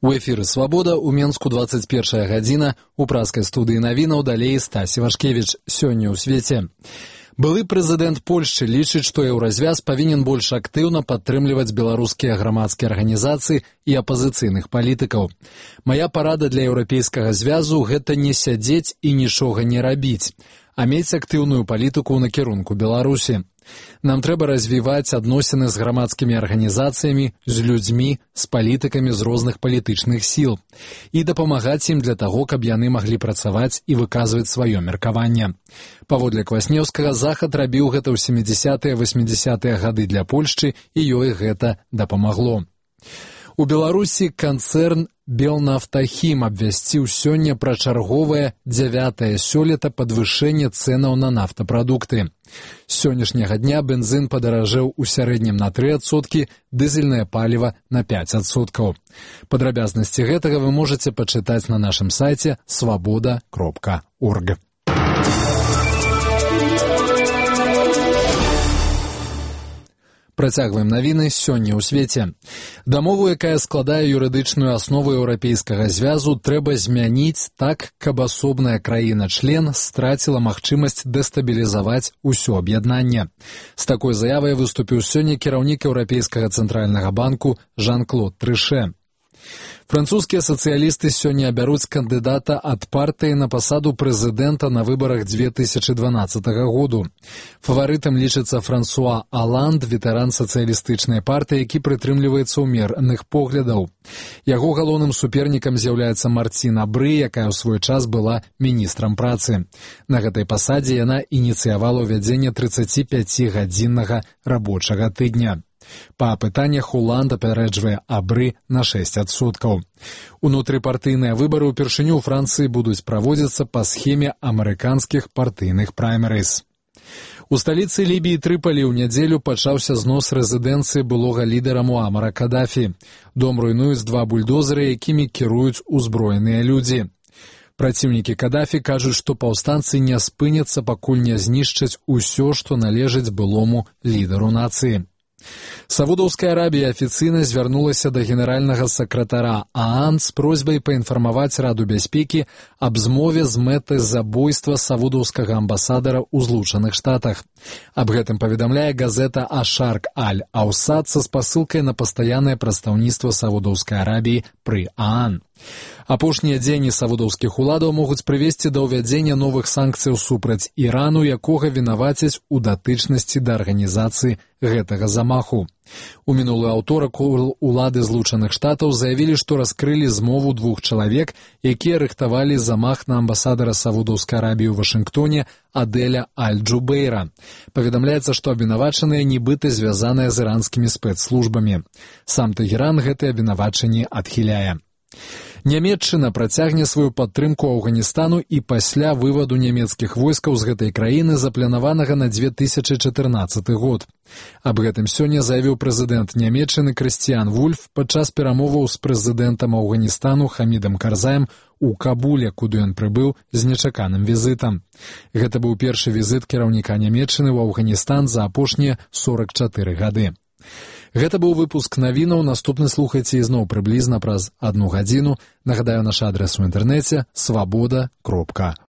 У эфіры «Свабода», у Менску 21 гадзіна, у праскай студыі навінаў далей Стась Івашкевіч. Сёння ў свеце. Былы прэзідэнт Польшчы лічыць, што еўразвяз павінен больш актыўна падтрымліваць беларускія грамадскія арганізацыі і апазіцыйных палітыкаў. Мая парада для еўрапейскага звязу – гэта не сядзець і нічога не рабіць, а мець актыўную палітыку ў накірунку Беларусі. Нам трэба развіваць адносіны з грамадскімі арганізацыямі, з людзьмі, з палітыкамі з розных палітычных сіл і дапамагаць ім для таго, каб яны маглі працаваць і выказваць сваё меркаванне. Паводле Кваснеўскага, Захад рабіў гэта ў 70-80-е гады для Польшчы, і ёй гэта дапамагло. У Беларусі канцэрн «Белнафтахім» абвясціў сёння пра чарговае 9-е сёлета падвышэнне цэнаў на нафтапрадукты. З сённяшняга дня бензин падаражэў у сярэднім на 3%, дызельнае паліва на 5%. Падрабязнасці гэтага вы можаце пачытаць на нашым сайце swaboda.org. Працягваем навіны сёння ў свеце. Дамову, якая складае юрыдычную аснову еўрапейскага звязу, трэба змяніць так, каб асобная краіна-член страціла магчымасць дэстабілізаваць усё аб'яднанне. З такой заявай выступіў сёння кіраўнік Еўрапейскага цэнтральнага банку Жан-Клод Трыше. Французскія сацыялісты сёння абяруць кандыдата ад партыі на пасаду прэзідэнта на выбарах 2012 году. Фаварытам лічыцца Франсуа Аланд, ветэран сацыялістычнай партыі, які прытрымліваецца ўмераных поглядаў. Яго галоўным супернікам з'яўляецца Мартін Абры, якая ў свой час была міністрам працы. На гэтай пасадзе яна ініцыявала ўвядзенне 35-гадзіннага рабочага тыдня. Па апытаннях Уланд апярэджвае Абры на 6%. Унутрыпартыйныя выбары ўпершыню ў Францыі будуць праводзіцца па схеме амерыканскіх партыйных праймерыз. У сталіцы Лібіі Трыполі ў нядзелю пачаўся знос рэзідэнцыі былога лідара Муамара Кадафі. Дом руйнуюць 2 бульдозеры, якімі кіруюць узброеныя людзі. Праціўнікі Кадафі кажуць, што паўстанцы не спыняцца, пакуль не знішчаць усё, што належыць былому лідару нацыі. Саудаўская Арабія афіцыйна звярнулася да генеральнага сакратара ААН з просьбай паінфармаваць Раду бяспекі аб змове з мэтай забойства саудаўскага амбасадара ў Злучаных Штатах. Аб гэтым паведамляе газета «Ашарк Аль-Аусад» са спасылкай на пастаяннае прадстаўніцтва Саудаўскай Арабіі пры ААН. Апошнія дзеянні саудаўскіх уладаў могуць прывесці да ўвядзення новых санкцыяў супраць Ірану, якога вінавацяць у датычнасці да арганізацыі гэтага замаху. У мінулы аўторак улады Злучаных Штатаў заявілі, што раскрылі змову 2 чалавек, якія рыхтавалі замах на амбасадара Саудаўскай Арабіі ў Вашынгтоне Адэля Аль-Джубейра. Паведамляецца, што абвінавачаныя нібыта звязаныя з іранскімі спецслужбамі. Сам Тэгеран гэтыя абвінавачанні адхіляе. Нямецчына працягне сваю падтрымку Афганістану і пасля вываду нямецкіх войскаў з гэтай краіны, запланаванага на 2014 год. Аб гэтым сёння заявіў прэзідэнт Нямецчыны Крыстіян Вульф падчас перамоваў з прэзідэнтам Афганістану Хамідам Карзаем у Кабуле, куды ён прыбыў з нечаканым візітам. Гэта быў першы візіт кіраўніка Нямецчыны ў Афганістан за апошнія 44 гады. Гэта быў выпуск навінаў, наступны слухайце ізноў прыблізна праз 1 гадзіну. Нагадаю, наш адрес у інтэрнэце swaboda.org.